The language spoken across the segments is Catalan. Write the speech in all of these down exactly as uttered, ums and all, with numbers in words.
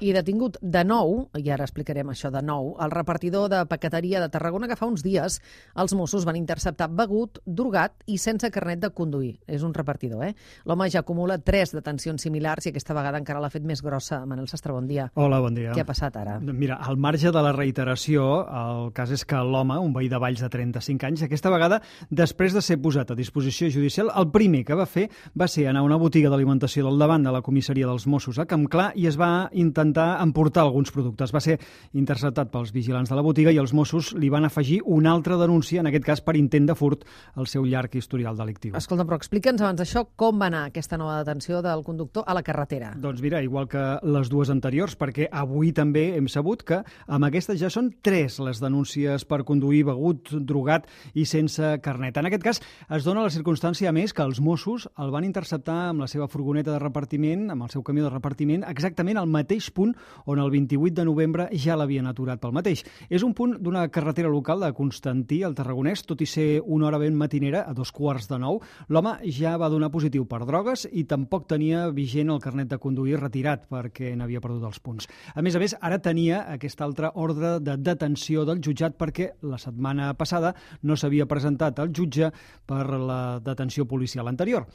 I detingut de nou, i ara explicarem això de nou, el repartidor de paqueteria de Tarragona que fa uns dies els Mossos van interceptar begut, drogat i sense carnet de conduir. És un repartidor, eh? L'home ja acumula tres detencions similars i aquesta vegada encara l'ha fet més grossa. Manel Sastre, bon dia. Hola, bon dia. Què ha passat ara? Mira, al marge de la reiteració, el cas és que l'home, un veí de Valls de trenta-cinc anys, aquesta vegada, després de ser posat a disposició judicial, el primer que va fer va ser anar a una botiga d'alimentació del davant de la comissaria dels Mossos a Campclar i es va intentar emportar alguns productes. Va ser interceptat pels vigilants de la botiga i els Mossos li van afegir una altra denúncia, en aquest cas per intent de furt, al seu llarg historial delictiu. Escolta, però explica'ns abans d'això com va anar aquesta nova detenció del conductor a la carretera. Doncs mira, igual que les dues anteriors, perquè avui també hem sabut que amb aquestes ja són tres les denúncies per conduir begut, drogat i sense carnet. En aquest cas es dona la circumstància, a més, que els Mossos el van interceptar amb la seva furgoneta de repartiment, amb el seu camió de repartiment, exactament al mateix punt on el vint-i-vuit de novembre ja l'havien aturat pel mateix. És un punt d'una carretera local de Constantí, al Tarragonès, tot i ser una hora ben matinera, a dos quarts de nou. L'home ja va donar positiu per drogues i tampoc tenia vigent el carnet de conduir retirat perquè n'havia perdut els punts. A més a més, ara tenia aquesta altra ordre de detenció del jutjat perquè la setmana passada no s'havia presentat al jutge per la detenció policial anterior.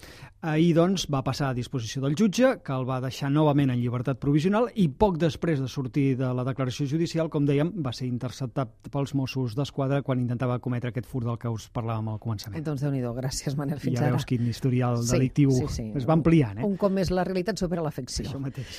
Ahir, doncs, va passar a disposició del jutge, que el va deixar novament en llibertat provisional i poc després de sortir de la declaració judicial, com dèiem, va ser interceptat pels Mossos d'Esquadra quan intentava cometre aquest furt del que us parlàvem al començament. Doncs Déu-n'hi-do, gràcies Manel, fins ja ara. Ja veus quin historial sí, delictiu sí, sí. es va ampliant. Eh? Un cop més la realitat supera la ficció. Això mateix.